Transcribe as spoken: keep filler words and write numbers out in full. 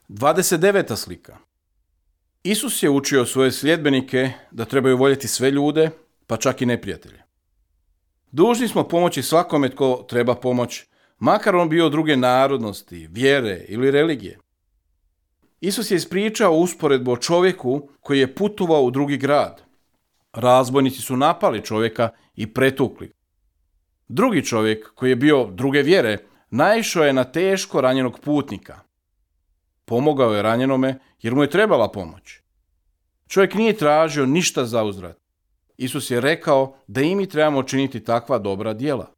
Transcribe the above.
dvadeset deveta slika. Isus je učio svoje sljedbenike da trebaju voljeti sve ljude, pa čak i neprijatelje. Dužni smo pomoći svakome tko treba pomoć, makar on bio druge narodnosti, vjere ili religije. Isus je ispričao usporedbu o čovjeku koji je putovao u drugi grad. Razbojnici su napali čovjeka i pretukli. Drugi čovjek, koji je bio druge vjere, naišao je na teško ranjenog putnika. Pomogao je ranjenome jer mu je trebala pomoć. Čovjek nije tražio ništa za uzvrat. Isus je rekao da i mi trebamo činiti takva dobra djela.